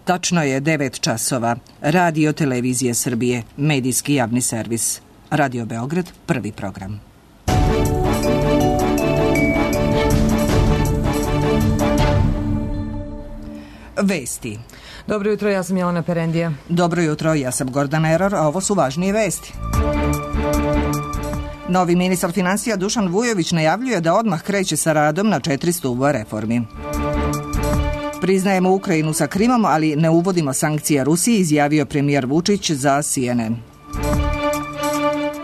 Tačno je 9 časova. Radio Televizije Srbije, medijski javni servis. Radio Beograd, prvi program. Vesti. Dobro jutro, ja sam Jelena Perendija. Dobro jutro, ja sam Gordana Eror, a ovo su važnije vesti. Novi ministar finansija Dušan Vujović najavljuje da odmah kreće sa radom na 4 stuba reformi. Priznajemo Ukrajinu sa Krimom, ali ne uvodimo sankcije Rusiji, izjavio premijer Vučić za CNN.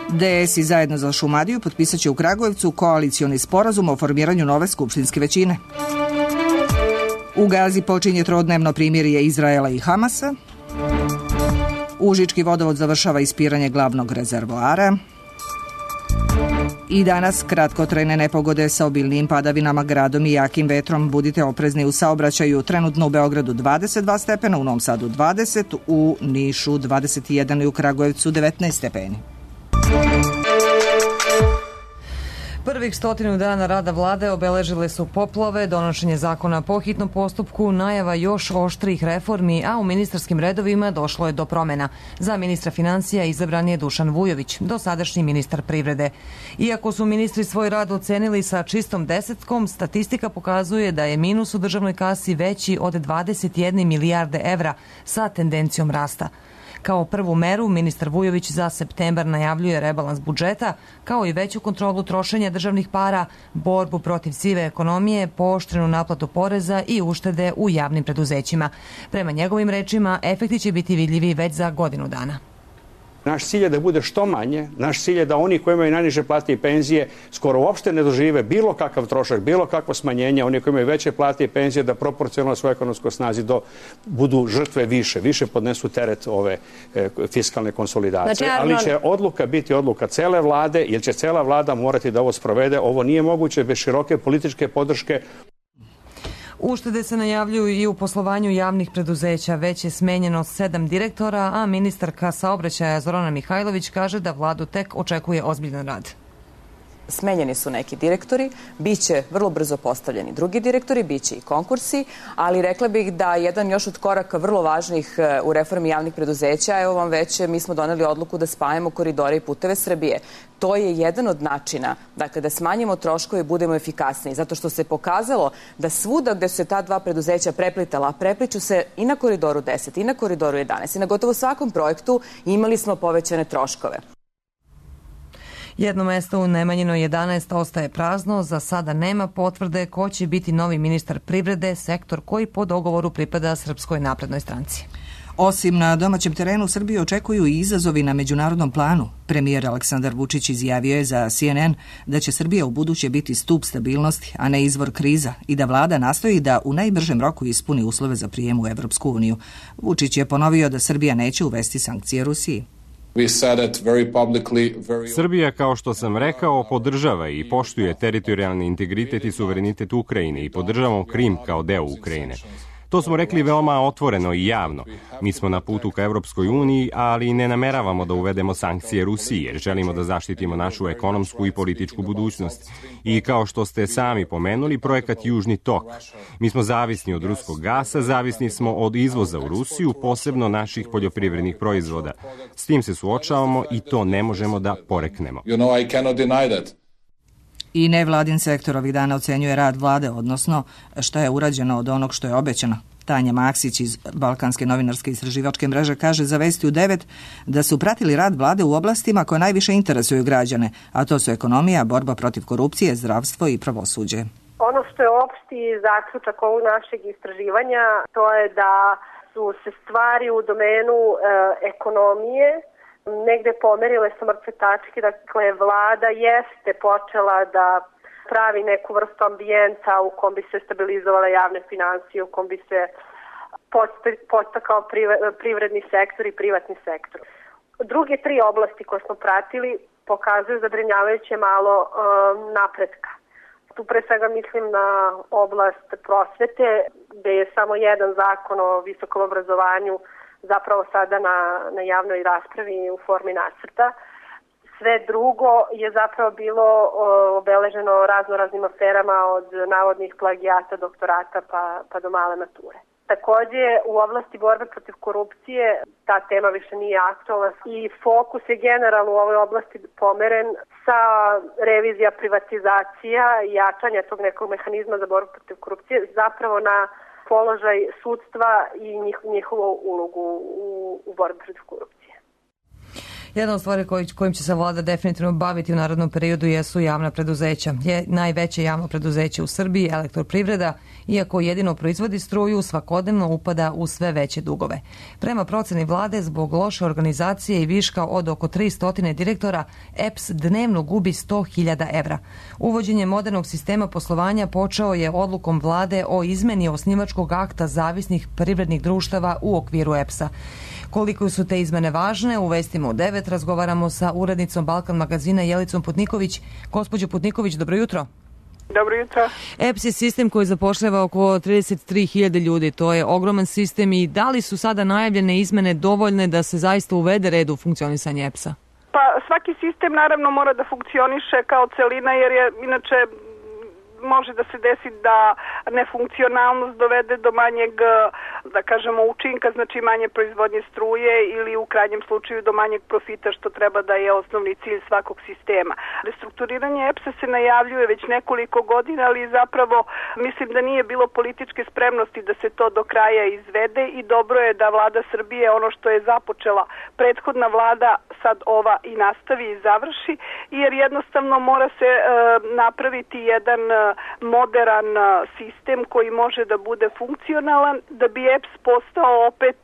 DS i Zajedno za Šumadiju potpisat će u Kragujevcu koalicioni sporazum o formiranju nove skupštinske većine. U Gazi počinje trodnevno primirje Izraela i Hamasa. Užički vodovod završava ispiranje glavnog rezervoara. I danas kratkotrajne nepogode sa obilnim padavinama, gradom i jakim vetrom. Budite oprezni u saobraćaju. Trenutno u Beogradu 22 stepena, u Novom Sadu 20, u Nišu 21 i u Kragujevcu 19 stepeni. Prvih 100 dana rada vlade obeležile su poplave, donošenje zakona po hitnom postupku, najava još oštrih reformi, a u ministarskim redovima došlo je do promena. Za ministra finansija izabran je Dušan Vujović, dosadašnji ministar privrede. Iako su ministri svoj rad ocenili sa čistom desetkom, statistika pokazuje da je minus u državnoj kasi veći od 21 milijarde evra sa tendencijom rasta. Kao prvu meru, ministar Vujović za septembar najavljuje rebalans budžeta, kao i veću kontrolu trošenja državnih para, borbu protiv sive ekonomije, pooštrenu naplatu poreza i uštede u javnim preduzećima. Prema njegovim rečima, efekti će biti vidljivi već za godinu dana. Naš cilj je da bude što manje, naš cilj je da oni koji imaju najniže plate i penzije skoro uopšte ne dožive bilo kakav trošak, bilo kakvo smanjenje, oni koji imaju veće plate i penzije da proporcionalno svojoj ekonomskoj snazi budu žrtve više podnesu teret ove fiskalne konsolidacije. Ali će odluka biti odluka cele vlade, jer će cela vlada morati da ovo sprovede. Ovo nije moguće bez široke političke podrške. Uštede se najavljuju i u poslovanju javnih preduzeća. Već je smenjeno 7 direktora, a ministarka saobraćaja Zorana Mihajlović kaže da vladu tek očekuje ozbiljan rad. Smenjeni su neki direktori, bit će vrlo brzo postavljeni drugi direktori, bit će i konkursi, ali rekla bih da jedan još od koraka vrlo važnih u reformi javnih preduzeća, evo vam već, mi smo doneli odluku da spajamo koridore i puteve Srbije. To je jedan od načina, dakle, da smanjimo troškove i budemo efikasniji, zato što se pokazalo da svuda gde su se ta dva preduzeća preplitala, prepliču se i na koridoru 10, i na koridoru 11, i na gotovo svakom projektu imali smo povećane troškove. Jedno mesto u Nemanjinoj 11 ostaje prazno, za sada nema potvrde ko će biti novi ministar privrede, sektor koji po dogovoru pripada Srpskoj naprednoj stranci. Osim na domaćem terenu, Srbiju očekuju i izazovi na međunarodnom planu. Premijer Aleksandar Vučić izjavio je za CNN da će Srbija u buduće biti stup stabilnosti, a ne izvor kriza, i da vlada nastoji da u najbržem roku ispuni uslove za prijem u Evropsku uniju. Vučić je ponovio da Srbija neće uvesti sankcije Rusiji. Srbija, kao što sam rekao, podržava i poštuje teritorijalni integritet i suverenitet Ukrajine i podržavamo Krim kao deo Ukrajine. To smo rekli veoma otvoreno i javno. Mi smo na putu ka Evropskoj uniji, ali ne nameravamo da uvedemo sankcije Rusiji, jer želimo da zaštitimo našu ekonomsku i političku budućnost. I kao što ste sami pomenuli, projekat Južni tok. Mi smo zavisni od ruskog gasa, zavisni smo od izvoza u Rusiju, posebno naših poljoprivrednih proizvoda. S tim se suočavamo i to ne možemo da poreknemo. I nevladin sektor ovih dana ocenjuje rad vlade, odnosno šta je urađeno od onog što je obećano. Tanja Maksić iz Balkanske novinarske istraživačke mreže kaže za Vesti u 9 da su pratili rad vlade u oblastima koje najviše interesuju građane, a to su ekonomija, borba protiv korupcije, zdravstvo i pravosuđe. Ono što je opšti zaključak ovog našeg istraživanja, to je da su se stvari u domenu ekonomije negde pomerile sa mrtve tačke. Dakle, vlada jeste počela da pravi neku vrstu ambijenta u kom bi se stabilizovala javne finansije, u kom bi se podstakao privredni sektor i privatni sektor. Druge 3 oblasti koje smo pratili pokazuju zabrinjavajuće malo napretka. Tu pre svega mislim na oblast prosvete, gde je samo jedan zakon o visokom obrazovanju zapravo sada na javnoj raspravi u formi nacrta. Sve drugo je zapravo bilo obeleženo raznoraznim aferama od navodnih plagijata, doktorata pa do male mature. Takođe, u oblasti borbe protiv korupcije ta tema više nije aktualna i fokus je generalno u ovoj oblasti pomeren sa revizija privatizacija i jačanja tog nekog mehanizma za borbu protiv korupcije zapravo na položaj sudstva i njihovu ulogu u borbi protiv korupcije. Jedna od stvari kojim će se vlada definitivno baviti u narednom periodu jesu javna preduzeća. Najveće javno preduzeće u Srbiji, Elektroprivreda, iako jedino proizvodi struju, svakodnevno upada u sve veće dugove. Prema proceni vlade, zbog loše organizacije i viška od oko 300 direktora, EPS dnevno gubi 100.000 evra. Uvođenje modernog sistema poslovanja počeo je odlukom vlade o izmeni osnivačkog akta zavisnih privrednih društava u okviru EPS-a. Koliko su te izmene važne, u vestima u 9 razgovaramo sa urednicom Balkan magazina Jelicom Putniković. Gospođo Putniković, dobro jutro. Dobro jutro. EPS je sistem koji zapošljava oko 33.000 ljudi. To je ogroman sistem i da li su sada najavljene izmene dovoljne da se zaista uvede red u funkcionisanje EPS-a? Pa svaki sistem naravno mora da funkcioniše kao celina jer je inače može da se desi da nefunkcionalnost dovede do manjeg, da kažemo, učinka, znači manje proizvodnje struje ili u krajnjem slučaju do manjeg profita, što treba da je osnovni cilj svakog sistema. Restrukturiranje EPS-a se najavljuje već nekoliko godina, ali zapravo mislim da nije bilo političke spremnosti da se to do kraja izvede i dobro je da vlada Srbije ono što je započela prethodna vlada sad ova i nastavi i završi, jer jednostavno mora se napraviti jedan moderan sistem koji može da bude funkcionalan, da bi EPS postao opet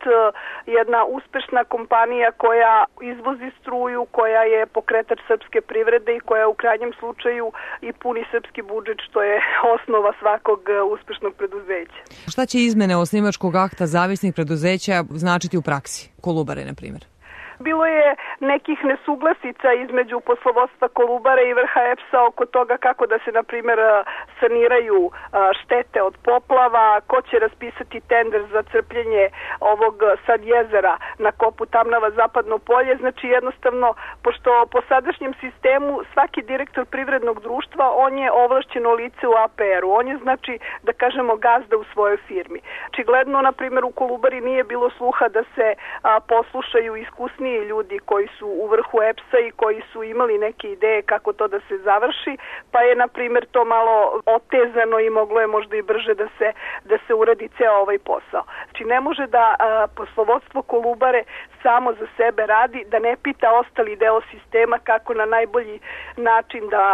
jedna uspešna kompanija koja izvozi struju, koja je pokretač srpske privrede i koja u krajnjem slučaju i puni srpski budžet, što je osnova svakog uspešnog preduzeća. Šta će izmene osnivačkog akta zavisnih preduzeća značiti u praksi? Kolubare, na primjer. Bilo je nekih nesuglasica između poslovodstva Kolubare i vrha EPS-a oko toga kako da se, na primjer, saniraju štete od poplava, ko će raspisati tender za crpljenje ovog sad jezera na kopu Tamnava Zapadno polje. Znači jednostavno, pošto po sadašnjem sistemu svaki direktor privrednog društva, on je ovlašćeno lice u APR-u. On je, znači, da kažemo, gazda u svojoj firmi. Očigledno, na primjer, u Kolubari nije bilo sluha da se poslušaju iskusni ljudi koji su u vrhu EPS-a i koji su imali neke ideje kako to da se završi, pa je, na primjer, to malo otezano i moglo je možda i brže da se uradi ceo ovaj posao. Znači, ne može da poslovodstvo Kolubare samo za sebe radi, da ne pita ostali deo sistema kako na najbolji način da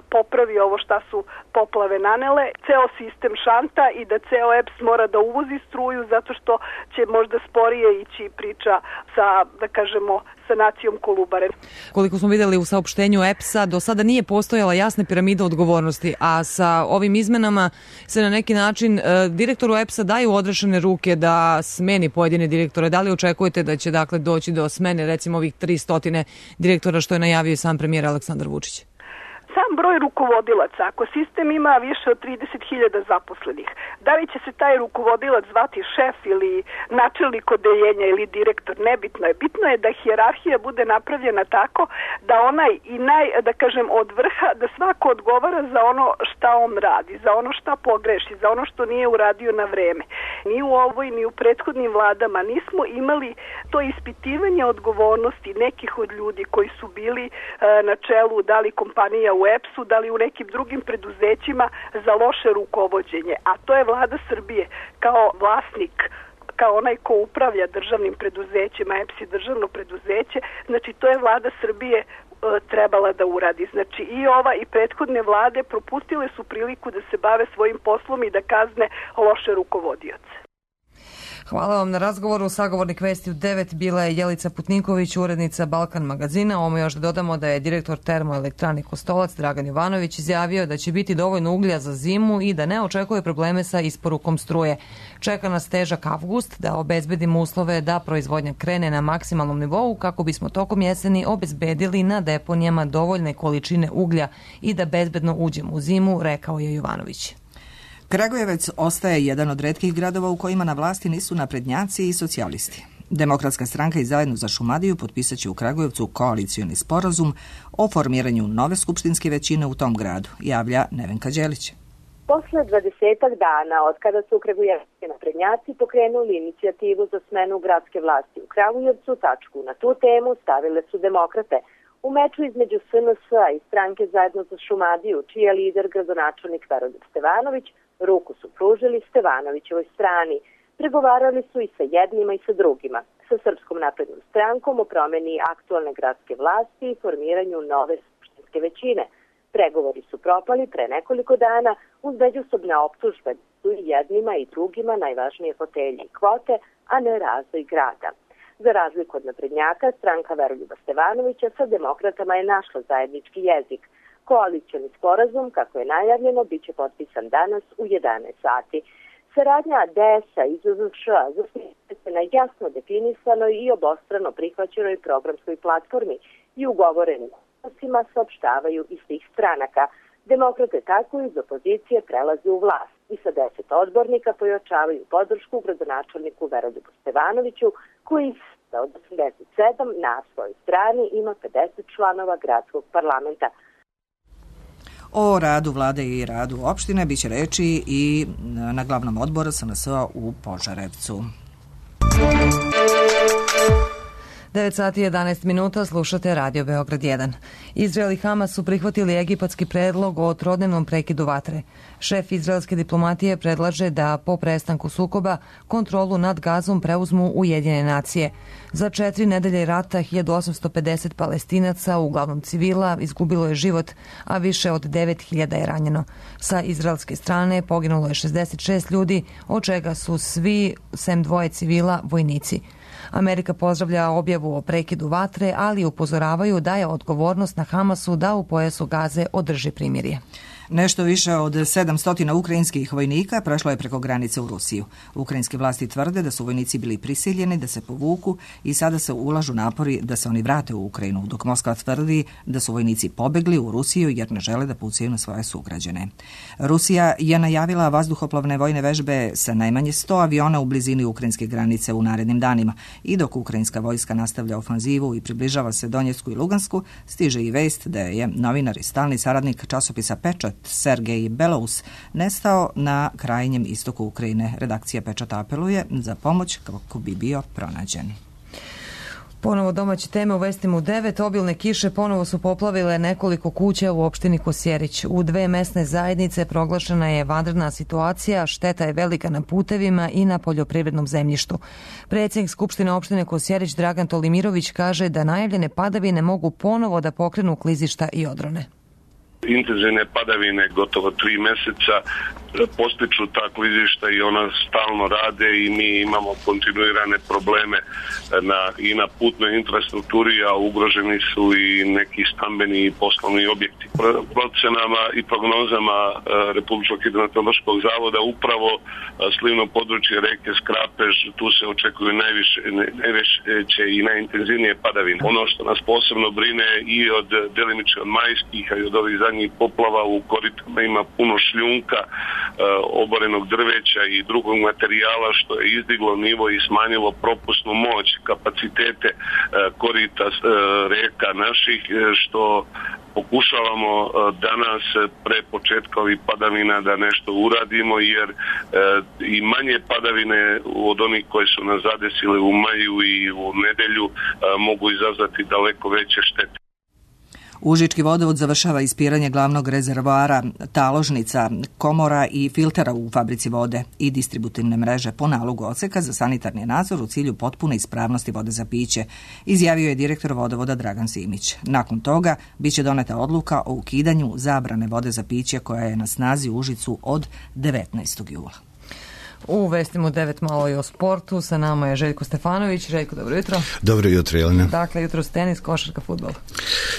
popravi ovo šta su poplave nanele. Ceo sistem šanta i da ceo EPS mora da uvozi struju zato što će možda sporije ići priča sa, da kažemo, sanacijom Kolubare. Koliko smo videli u saopštenju EPS-a, do sada nije postojala jasna piramida odgovornosti, a sa ovim izmenama se na neki način direktoru EPS-a daju odrešene ruke da smeni pojedine direktore. Da li očekujete da će doći do smene recimo ovih 300 direktora što je najavio sam premijer Aleksandar Vučić? Sam broj rukovodilaca, ako sistem ima više od 30.000 zaposlenih, da li će se taj rukovodilac zvati šef ili načelnik odeljenja ili direktor, nebitno je. Bitno je da hijerarhija bude napravljena tako da onaj i da kažem, od vrha, da svako odgovara za ono šta on radi, za ono šta pogreši, za ono što nije uradio na vreme. Ni u ovoj, ni u prethodnim vladama nismo imali to ispitivanje odgovornosti nekih od ljudi koji su bili na čelu, da li kompanija u EPS-u, da li u nekim drugim preduzećima za loše rukovođenje. A to je vlada Srbije kao vlasnik, kao onaj ko upravlja državnim preduzećima, EPS je državno preduzeće, znači to je vlada Srbije trebala da uradi. Znači i ova i prethodne vlade propustile su priliku da se bave svojim poslom i da kazne loše rukovodioce. Hvala vam na razgovoru. Sagovornik Vesti u 9 bila je Jelica Putniković, urednica Balkan magazina. Ovo još da dodamo da je direktor termoelektrane Kostolac Dragan Jovanović izjavio da će biti dovoljno uglja za zimu i da ne očekuje probleme sa isporukom struje. Čeka nas težak avgust da obezbedimo uslove da proizvodnja krene na maksimalnom nivou kako bismo tokom jeseni obezbedili na deponijama dovoljne količine uglja i da bezbedno uđemo u zimu, rekao je Jovanović. Kragujevac ostaje jedan od retkih gradova u kojima na vlasti nisu naprednjaci i socijalisti. Demokratska stranka i Zajedno za Šumadiju potpisat će u Kragujevcu koalicioni sporazum o formiranju nove skupštinske većine u tom gradu, javlja Nevenka Đelić. Posle 20 dana od kada su kragujevski naprednjaci pokrenuli inicijativu za smenu gradske vlasti u Kragujevcu, tačku na tu temu stavile su demokrate. U meču između SNS-a i stranke Zajedno za Šumadiju, čiji je lider gradonačelnik Veroljub Stevanović, ruku su pružili Stevanovićevoj strani. Pregovarali su i sa jednima i sa drugima, sa Srpskom naprednom strankom o promeni aktualne gradske vlasti i formiranju nove skupštinske većine. Pregovori su propali pre nekoliko dana uz međusobne optužbe su i jednima i drugima najvažnije fotelje i kvote, a ne razvoj grada. Za razliku od naprednjaka, stranka Veroljuba Stevanovića sa demokratama je našla zajednički jezik. Koalicioni sporazum, kako je najavljeno, bit će potpisan danas u 11 sati. Saradnja DS-a i ZZŠ-a zasniva se na jasno definisanoj i obostrano prihvaćenoj programskoj platformi i ugovorenim odnosima saopštavaju iz tih stranaka. Demokrate tako iz opozicije prelaze u vlast i sa 10 odbornika pojačavaju podršku gradonačelniku Veroljubu Stevanoviću, koji od 87 na svojoj strani ima 50 članova gradskog parlamenta. O radu vlade i radu opštine biće reči i na glavnom odboru SNS-a u Požarevcu. 9 sati 11 minuta, slušate Radio Beograd 1. Izrael i Hamas su prihvatili egipatski predlog o trodnevnom prekidu vatre. Šef izraelske diplomatije predlaže da po prestanku sukoba kontrolu nad Gazom preuzmu Ujedinjene nacije. Za 4 nedelje rata 1850 Palestinaca, uglavnom civila, izgubilo je život, a više od 9000 je ranjeno. Sa izraelske strane poginulo je 66 ljudi, od čega su svi, sem 2 civila, vojnici. Amerika pozdravlja objavu o prekidu vatre, ali upozoravaju da je odgovornost na Hamasu da u pojasu Gaze održi primirje. Nešto više od 700 ukrajinskih vojnika prešlo je preko granice u Rusiju. Ukrajinske vlasti tvrde da su vojnici bili prisiljeni da se povuku i sada se ulažu napori da se oni vrate u Ukrajinu, dok Moskva tvrdi da su vojnici pobegli u Rusiju jer ne žele da pucaju na svoje sugrađane. Rusija je najavila vazduhoplovne vojne vežbe sa najmanje 100 aviona u blizini ukrajinske granice u narednim danima i dok ukrajinska vojska nastavlja ofanzivu i približava se Donjecku i Lugansku, stiže i vest da je novinar i stalni saradnik časopisa Pečat Sergej Belous nestao na krajnjem istoku Ukrajine. Redakcija Pečata apeluje za pomoć kako bi bio pronađen. Ponovo domaće teme u vestima u 9. Obilne kiše ponovo su poplavile nekoliko kuća u opštini Kosjerić. U 2 mesne zajednice proglašena je vanredna situacija, šteta je velika na putevima i na poljoprivrednom zemljištu. Predsjednik Skupštine opštine Kosjerić Dragan Tolimirović kaže da najavljene padavine mogu ponovo da pokrenu klizišta i odrone. Intenzivne padavine gotovo 3 meseca postiču ta klizišta i ona stalno rade i mi imamo kontinuirane probleme i na putnoj infrastrukturi, a ugroženi su i neki stambeni i poslovni objekti. Procenama i prognozama Republičkog hidrometeorološkog zavoda upravo slivno područje reke Skrapež, tu se očekuju najveće i najintenzivnije padavine. Ono što nas posebno brine i od delimično od majskih, a i od ovih zadnjih poplava u koritama ima puno šljunka, oborenog drveća i drugog materijala što je izdiglo nivo i smanjilo propusnu moć, kapacitete korita reka naših, što pokušavamo danas pre početka ovih padavina da nešto uradimo, jer i manje padavine od onih koje su nas zadesile u maju i u nedelju mogu izazvati daleko veće štete. Užički vodovod završava ispiranje glavnog rezervoara, taložnica, komora i filtera u fabrici vode i distributivne mreže po nalogu odseka za sanitarni nadzor u cilju potpune ispravnosti vode za piće, izjavio je direktor vodovoda Dragan Simić. Nakon toga biće doneta odluka o ukidanju zabrane vode za piće koja je na snazi u Užicu od 19. jula. U vestima 9 malo i o sportu. Sa nama je Željko Stefanović. Željko, dobro jutro. Dobro jutro, Jelena. Dakle, jutro tenis, košarka, fudbal.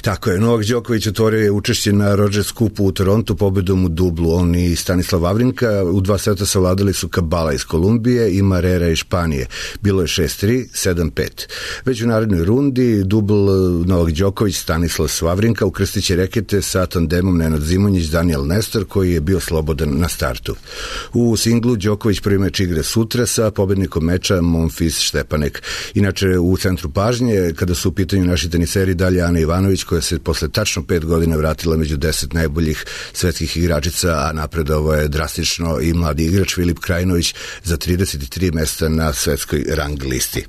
Tako je. Novak Đoković otvorio je učešće na Rogers Cupu u Torontu pobedom u dublu. On i Stanislav Wawrinka u 2 seta savladali su Kabala iz Kolumbije i Marrera iz Španije. Bilo je 6-3, 7-5. Već u narednoj rundi dubl Novak Đoković, Stanislav Wawrinka ukrstit će rekete sa tandemom Nenad Zimonjić, Daniel Nestor, koji je bio slobodan na startu. U singlu Đoković prvi meč igre sutra sa pobednikom meča Monfils Štepanek. Inače, u centru pažnje, kada su u pitanju naši teniseri, dalje Ana Ivanović Ivanović, koja se posle tačno 5 godina vratila među 10 najboljih svetskih igračica, a napredovao je drastično i mladi igrač Filip Krajinović za 33 mesta na svetskoj rang listi.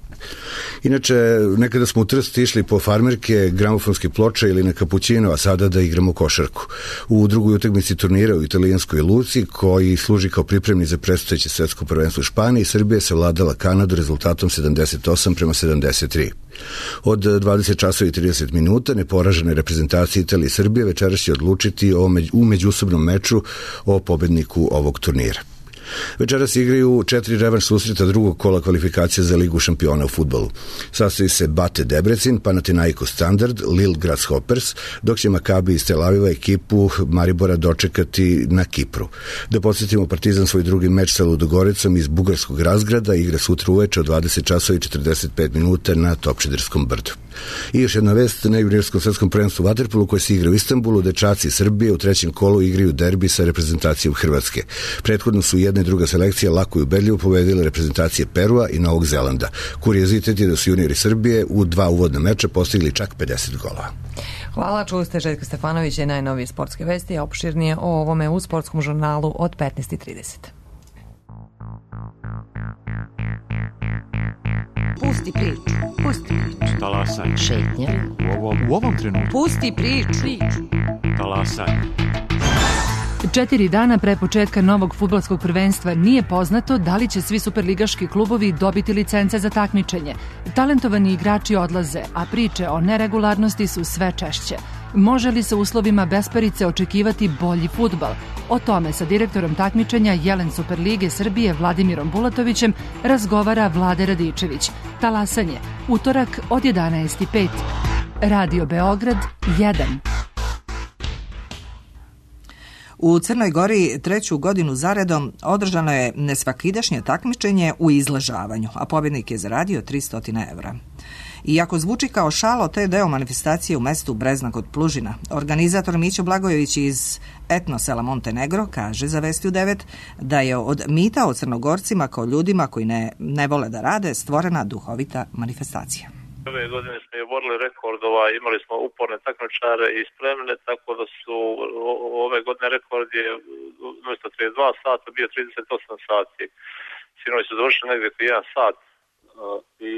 Inače, nekada smo u Trst išli po farmerke, gramofonske ploče ili na kapućino, a sada da igramo košarku. U drugoj utakmici turnira u italijanskoj Luci, koji služi kao pripremni za predstojeće svetsko prvenstvo u Španiji, Srbija se vladala Kanadu rezultatom 78-73. Od 20 časova i 30 minuta neporažene reprezentacije Italije i Srbije večeras će odlučiti u međusobnom meču o pobedniku ovog turnira. Večeras igraju 4 revanš susreta drugog kola kvalifikacija za Ligu šampiona u fudbalu. Sastoji se Bate Debrecin, Panathinaikos Standard, Lille Grasshoppers, dok će Makabi iz Tel Aviva ekipu Maribora dočekati na Kipru. Da podsjetimo, Partizan svoj drugi meč sa Ludogoricom iz bugarskog Razgrada igra sutra uveče od 20 časova i 45 minuta na Topčiderskom brdu. I još jedna vest, na juniorskom svetskom prvenstvu vaterpolu koje se igra u Istanbulu, dečaci Srbije u trećem kolu igraju derbi sa reprezentacijom Hrvatske. Prethodno su jedna i druga selekcija lako i ubedljivo pobedile reprezentacije Perua i Novog Zelanda. Kuriozitet je da su juniori Srbije u 2 uvodna meča postigli čak 50 golova. Hvala, čuli ste Željka Stefanovića i najnovije sportske vesti, a opširnije o ovome u sportskom žurnalu od 15:30. Pusti priču. Pusti priču. Talasaj. Šetnja. U ovom trenutku. Pusti priču. Talasaj. 4 dana pre početka novog fudbalskog prvenstva nije poznato da li će svi superligaški klubovi dobiti licence za takmičenje. Talentovani igrači odlaze, a priče o neregularnosti su sve češće. Može li se u uslovima besparice očekivati bolji fudbal? O tome sa direktorom takmičenja Jelen Superlige Srbije Vladimirom Bulatovićem razgovara Vlade Radičević. Talasanje, utorak od 11:05. Radio Beograd 1. U Crnoj Gori 3. godinu zaredom održano je nesvakidašnje takmičenje u izležavanju, a pobjednik je zaradio 300 evra. Iako zvuči kao šalo, to je deo manifestacije u mestu Brezna kod Plužina. Organizator Mićo Blagojević iz etnosela Montenegro kaže za Vesti u 9 da je od mita o Crnogorcima kao ljudima koji ne vole da rade stvorena duhovita manifestacija. Ove godine smo je borili rekordova, imali smo uporne takmičare i spremne, tako da su ove godine rekord je umjesto 32 sata bio 38 sati. Sinovi su završili negdje 1 sat i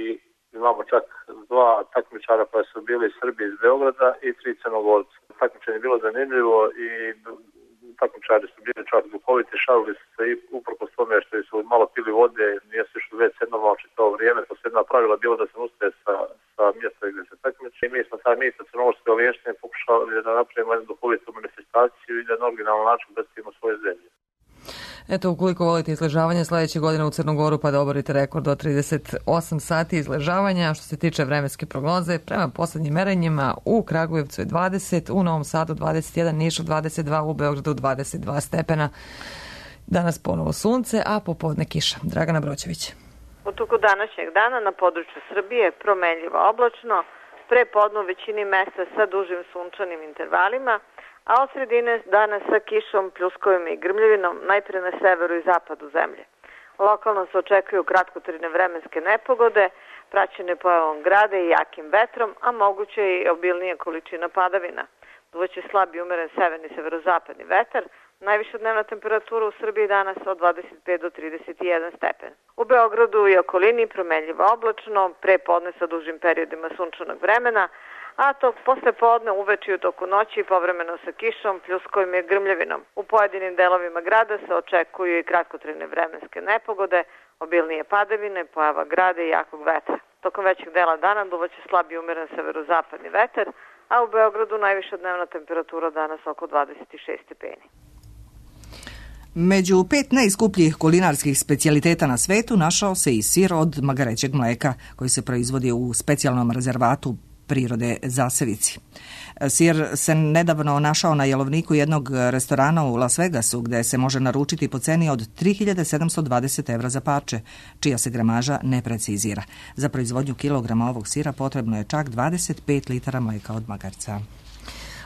imamo čak 2 takmičara koja su bili iz Srbije iz Beograda i 3 Crnogorca. Takmičenje je bilo zanimljivo i takmičari su bili čak duhoviti, šalili su se i uprkos tome što su malo pili vode, nisu išli već jednostavno čitavo vrijeme, to su jedna pravila bilo da se ustaje sa mjesta gdje se takmiče. I mi smo taj mit sa crnogorske ovještine pokušali da napravimo jednu duhovitu manifestaciju i da na originalan način predstavimo svoje zemlje. Eto, ukoliko volite izležavanje, sledeće godine u Crnogoru pa da oborite rekord od 38 sati izležavanja. Što se tiče vremenske prognoze, prema poslednjim merenjima u Kragujevcu je 20, u Novom Sadu 21, Nišu 22, u Beogradu 22 stepena. Danas ponovo sunce, a popodne kiša. Dragana Broćević. U toku današnjeg dana na području Srbije promenljivo oblačno, pre podne u većini mesta sa dužim sunčanim intervalima, a od sredine dana sa kišom, pljuskovima i grmljevinom najpre na severu i zapadu zemlje. Lokalno se očekuju kratkotrajne vremenske nepogode, praćene pojavom grada i jakim vetrom, a moguće i obilnije količina padavina. Duvaće slab i umeren severni severozapadni vetar, najviša dnevna temperatura u Srbiji danas od 25 do 31 stepen. U Beogradu i okolini promenljivo oblačno, pre podne sa dužim periodima sunčanog vremena, a to posle podne uveče i u toku noći povremeno sa kišom, pljuskovim i grmljavinom. U pojedinim delovima grada se očekuju i kratkotrajne vremenske nepogode, obilnije padavine, pojava grada i jakog vetra. Tokom većeg dela dana duvaće slab i umeren severozapadni vetar, a u Beogradu najviša dnevna temperatura danas oko 26 stepeni. Među 5 najskupljih kulinarskih specijaliteta na svetu našao se i sir od magarećeg mleka koji se proizvodi u specijalnom rezervatu prirode Zasevici. Sir se nedavno našao na jelovniku jednog restorana u Las Vegasu gde se može naručiti po ceni od 3.720 evra za parče, čija se gramaža ne precizira. Za proizvodnju kilograma ovog sira potrebno je čak 25 litara mleka od magarca.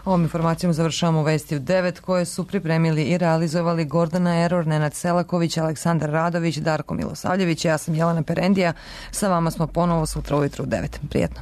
Ovom informacijom završavamo Vesti u 9 koje su pripremili i realizovali Gordana Eror, Nenad Selaković, Aleksandar Radović, Darko Milosavljević. Ja sam Jelena Perendija. Sa vama smo ponovo sutra ujutro u 9. Prijetno.